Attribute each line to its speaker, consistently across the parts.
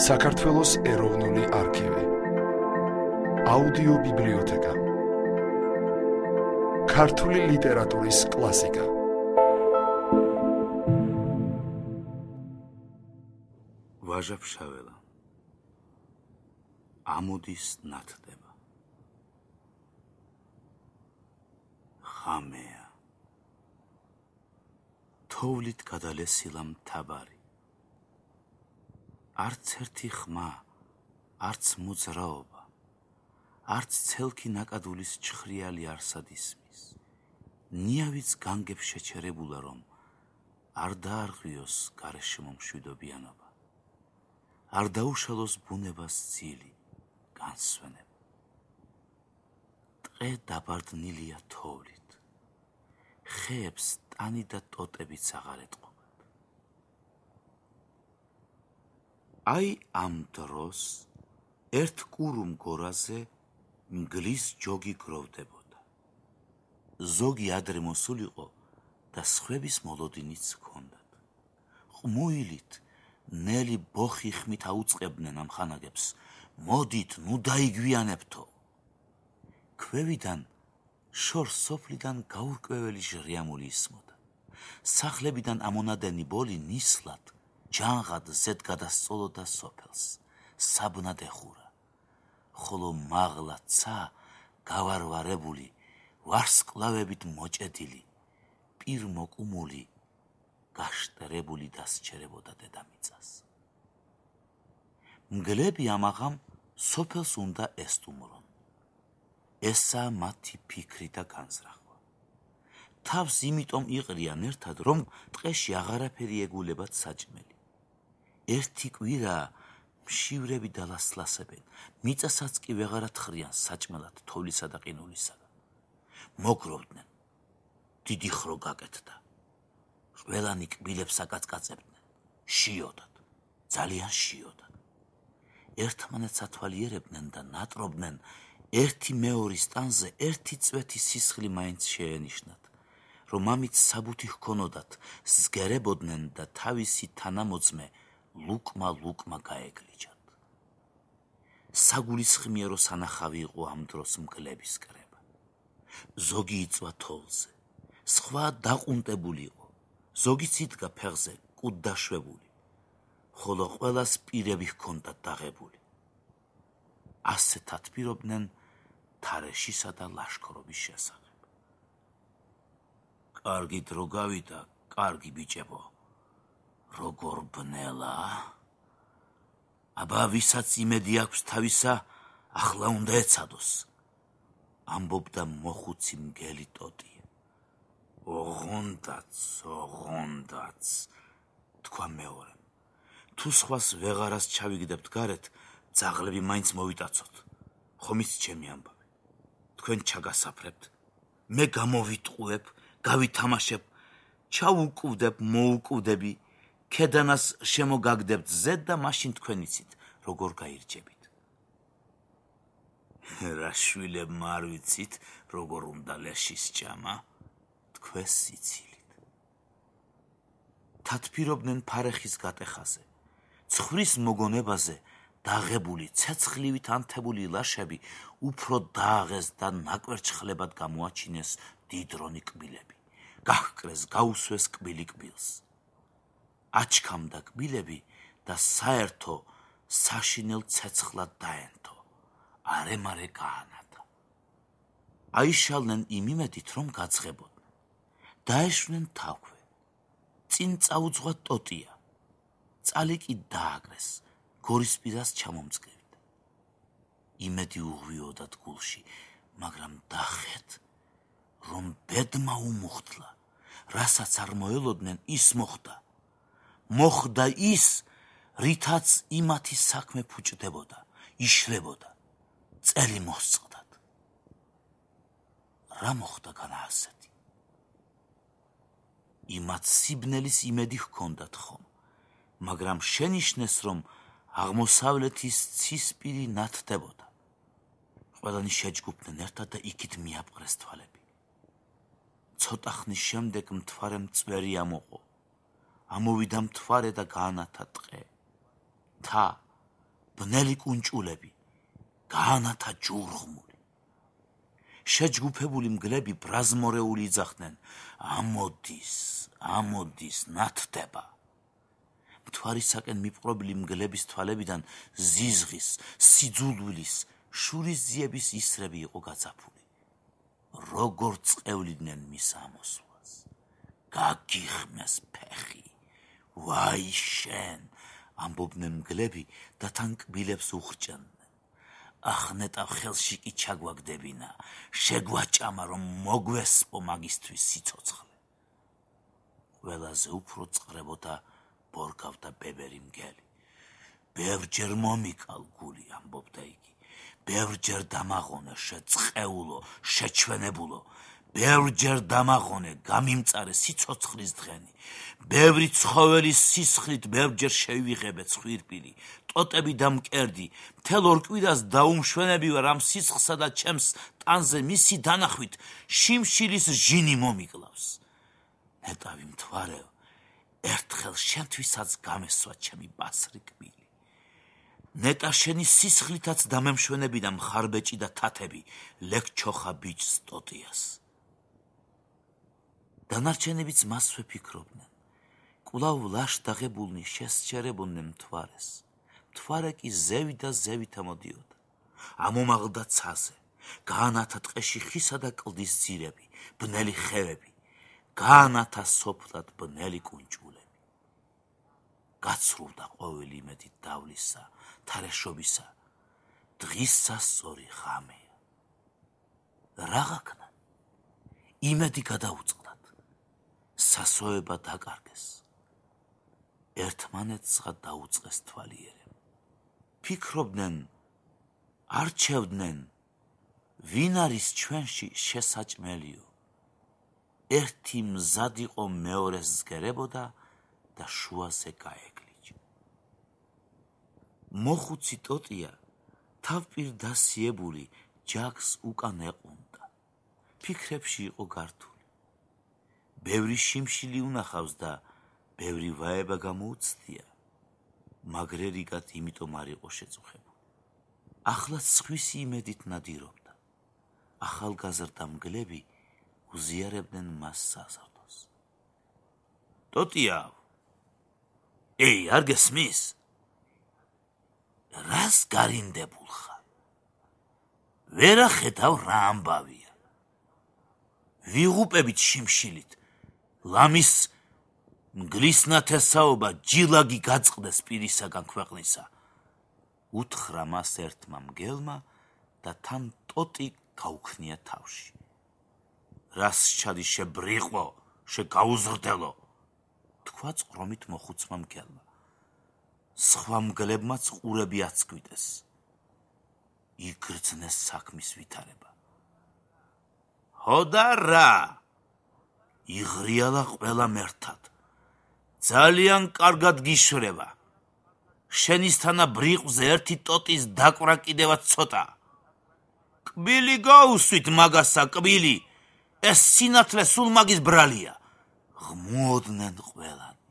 Speaker 1: საქართველოს ეროვნული არქივი, აუდიო ბიბლიოთეკა, ქართული ლიტერატურის კლასიკა.
Speaker 2: ვაჟა-ფშაველა, ამოდის ნათდება. ღამეა, თოვლით გადალესილა მთავარი. არც ერთი ხმა, არც მოძრაობა, არც ცელქი ნაკადულის ჩხრიალი არსად ისმის. ნიავიც განგებ შეჩერებულა, რომ არ დაარღვიოს გარეშემო მშვიდობიანობა, არ დაუშალოს ბუნებას ძილი, განსვენება. ტყე დაბარდნილია თოვლით, ხეებს ტანი და ტოტებიც აღარ ეტყობათ. აი ამ დროს ერთ კურუმ გორაზე მგლის ჯოგი გროვდებოდა. ზოგი ადრე მოსულიყო და სხვების მოლოდინიც ჰქონდათ. ყმუილით ნელი ბოხი ხმით აუწყებდნენ ამ ხანაგებს. მოდით, ნუ დაიგვიანებთო. ქვევიდან შორ სოფლიდან გაურკვეველი ჟრიამული ისმოდა. სახლებიდან ამონადენი ბოლი ნისლად ჯანღად ზედ გადასწოლოდა სოფელს, საბნად ეხურა, ხოლო მაღლა ცა გავარვარებული, ვარსკვლავებით მოჭედილი, პირმოკუმული, გაშტერებული დასჩერებოდა დედამიწას. მგლები ამაღამ სოფელს უნდა ესტუმრონ. ესაა მათი ფიქრი და განზრახვა. თავს იმიტომ იყრიან ერთად, რომ ტყეში აღარაფერი ეგულებათ საჭმელი. ერთი კვირა მშივრები დალასლასებენ, მიწასაც კი ვეღარ ათხრიან საჭმელად თოვლისა და ყინულისაგან. მოგროვდნენ, დიდი ხრო გაკეთდა. ყველანი კბილებს აკაწკაწებდნენ, შიოდათ, ძალიან შიოდათ. ერთმანეთს ათვალიერებდნენ და ნატრობდნენ, ერთი მეორის ტანზე ერთი წვეთი სისხლი მაინც შეენიშნათ, რომ ამით საბუთი ჰქონოდათ, ზგერებოდნენ და თავისი თანამოძმე ლუკმა გაეგლიჯათ. საგულისხმიერო სანახავი იყო ამ დროს მგლების კრება. ზოგი იწვა თოვლზე, სხვა დაყუნტებული იყო, ზოგიც იდგა ფეხზე კუდდაშვებული, ხოლო ყველას პირები ჰქონდათ დაღებული. ასეთ ათბირობდნენ თარეშისა და ლაშქრობის შესახებ. კარგი დრო გავიდა, კარგი ბიჭებო, როგორ ბნელა? აბა ვისაც იმედი აქვს თავისა, ახლა უნდა ეცადოს, ამბობდა მოხუცი მგელი ტოტია. ოღონდაც, თქვა მეორემ, თუ სხვას ვეღარას ჩავიგდებთ გარეთ, ძაღლები მაინც მოვიტაცოთ, ხომიც ჩემი ამბავი. თქვენ ჩაგასაფრებთ, მე გამოვიტყუებ, გავითამაშებ, ჩაუკვდებ, მოუკვდები, ქედანას შემოგაგდებთ ზედ და მაშინ თქვენ იცით, როგორ გაირჩებით. რა შვილებმა არ ვიცით, როგორ უნდა ლეშის ჭამა, თქვენს სიცილით. თათბირობდნენ ფარეხის გატეხაზე, ცხვრის მოგონებაზე, დაღებული, ცეცხლივით ანთებული ლაშები უფრო დააღეს და ნაკვერჩხლებად გამოაჩინეს დიდრონი კბილები. გაჰკრეს, გაუსვეს კბილი კბილს. აჩქამდა კბილები და საერთო საშინელ ცეცხლად დაენთო. არე-მარე გაანათა. აიშალნენ იმ იმედით, რომ გაძღებოდნენ. დაეშვნენ თავქვე. წინ წაუძღვა ტოტია. წალი კი დააკრეს. გორისპირას ჩამომწკრივდა. იმედი უღვიოდათ გულში, მაგრამ დახეთ, რომ ბედმა უმუხტლა, რასაც არ მოელოდნენ, ის მოხდა. მოხდა ის, რითაც იმათი საქმე ფუჭდებოდა, იშლებოდა, წელი მოსწყდათ. რა მოხდა განა ასეთი? იმათ სიბნელის იმედი ჰქონდათ ხომ, მაგრამ შენიშნეს, რომ აღმოსავლეთის ცისპირი ნათდებოდა. ყველანი შეჯგუფდნენ ერთად და იქით მიაპყრეს თვალები. ცოტა ხნის შემდეგ მთვარემ წვერი ამოყო. ამოვიდა მთვარე და გაანათა ტყე. თა ბნელი კუნჭულები, გაანათა ჯურღმული. შეჯგუფებული მგლები ბრაზმორეული იძახდნენ, ამოდის, ნათდება. მთვარისაკენ მიპყრობილი მგლების თვალებიდან ზიზღის, სიძულვილის, შურისძიების ისრები იყო გაწაფული. როგორ წევლიდნენ მის ამოსვლას. გაგიხმეს ფეხი, ვაი შენ, ამბობდნენ მგლები და თან კბილებს უხრჭენდნენ. ახ ნეტავ ხელში კი ჩაგვაგდებინა, შეგვაჭამა რომ მოგვესპო მაგისთვის სიცოცხლე. ყველაზე უფრო წყრებოდა ბორგავდა ბებერი მგელი. ბევრჯერ მომიკალ გული, ამბობდა იგი. ბევრჯერ დამაღონე შეწყეულო, შეჩვენებულო. ბევრჯერ დამაღონე გამიმწარე სიცოცხლის დღენი. ბევრი ცხოველის სისხლით ბევრჯერ შევიღებე ცხვირპილი. ტოტები და მკერდი, მთელ ორ კვირას დაუმშვენები ვარ ამ სისხლსა და ჩემს ტანზე მისი დანახვით შიმშილის ჟინი მომიკლავს. ნეტავი მთვარეო, ერთხელ შენთვისაც გამესვა ჩემი ბასრი კბილი. ნეტა შენი სისხლითაც დამემშვენებინა მხარბეჭი და თათები, ლექჩოხა ბიჭს ტოტიას. დანარჩენებიც მასვე ფიქრობდნენ. კვლავ ლაშდაღებულნი შესჩერებოდნენ მთვარეს. მთვარე კი ზევი და ზევით ამოდიოდა. ამომაღლდა ცაზე, გაანათა ტყეში ხისა და კლდის ძირები, ბნელი ხევები, გაანათა სოფლად ბნელი კუნჭულები. გაცრუვდა ყოველი იმედი დავლისა, თარეშობისა, დღისა სწორი ღამეა. რაღაცა იმედი გადაუწყდათ, სასოება დაკარგეს, ერთმანეთსღა დაუწყეს თვალიერემ. ფიქრობდნენ, არჩევდნენ, ვინ არის ჩვენში შესაჭმელიო. ერთი მზად იყო მეორეს ზგერებოდა და შუაზე გაეგლიჯა. მოხუცი ტოტია თავპირ დასიებული ჯაგს უკან ეყუნდა. ფიქრებში იყო გართული. ბევრი შიმშილი უნახავს და ბევრი ვაება გამოუცდია. მაგრერიგად იმიტომ არ იყო შეწუხებული. ახლაც სხვისი იმედით ნადირობდა. ახალგაზრდა მგლები უზიარებდნენ მას საზრდოს. ტოტია, არ გესმის? რას გარინდებულ ხარ? ვერა ხედავ რა ამბავია. ვიღუპებით შიმშილით, ლამის მგლის ნათესაობა ჯილაგი გაწყდეს პირისაგან ქვეყნისა. უთხრა მას ერთმა მგელმა და თან ტოტი გაუქნია თავში. რას ჩადი შებრიყვო, შეგაუზრდელო, თქვა წრომით მოხუცმა მგელმა. სხვა მგლებმაც ყურები აცკვიტეს. იგრძნეს საქმის ვითარება. ჰოდა რა? იღრიალა ყველამ ერთად. ძალიან კარგად გიშვრება. შენისთანა ბრიყვზე ერთი ტოტის დაკვრა კიდევაც ცოტა. კბილი გაუსვით მაგასა, კბილი. ეს სინათლე სულ მაგის ბრალია. ღმოდნენ ყველანი.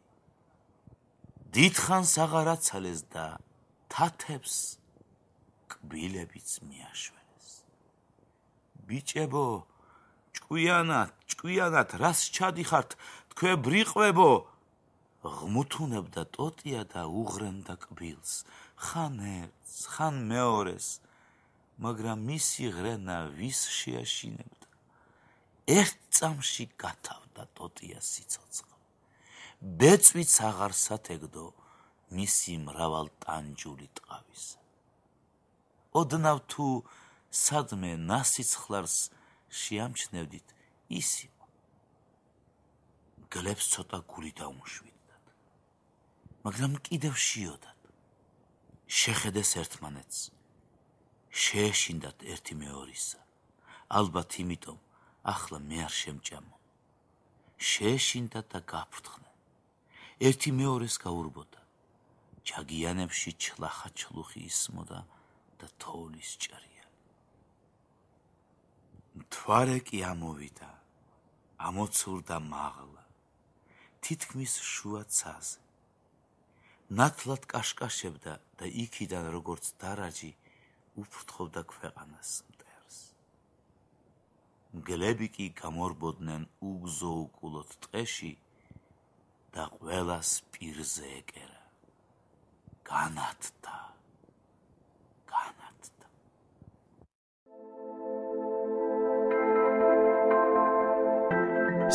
Speaker 2: დიდხანს აღარ აცალეს და თათებს კბილებიც მიაშვენეს. ბიჭებო, ჭკვიანად, რას ჩადიხართ, თქვენ ბრიყვებო? ღმუთუნებდა ტოტია და უღრენდა კბილს, ხან ერთს, ხან მეორეს, მაგრამ მისი ღრენა ვის შეაშინებდა. ერთ წამში გათავდა ტოტიას სიცოცხლე. ბეწვიც აღარ სათეგდო მისი მრავალტანჯული ტყავისა. ოდნავ თუ სადმე ნასიცხლარს შეამჩნევდით, ის იყო. გლებს ცოტა გული დაუმშვიდდათ, მაგრამ კიდევ შიოდათ. შეხედეს ერთმანეთს, შეეშინდათ ერთი მეორისა, ალბათ იმიტომ, ახლა მე არ შემჭამო. შეეშინდათ და გაფრთხნენ. ერთი მეორეს გაურბოდა. ჯაგიანებში ჩლახა-ჩლუხი ისმოდა და თოვლის ჭრია. მთვარე კი ამოვიდა, ამოცურდა მაღლა, თითქმის შუა ცაზე. ნათლად კაშკაშებდა და იქიდან როგორც დარაჯი უფრთხობდა ქვეყანას მტერს. მგლები კი გამორბოდნენ უგზოუკულოდ ტყეში და ყველას პირზე ეკერა. განათდა.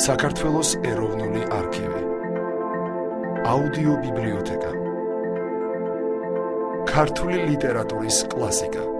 Speaker 1: საქართველოს ეროვნული არქივი. აუდიო ბიბლიოთეკა. ქართული ლიტერატურის კლასიკა.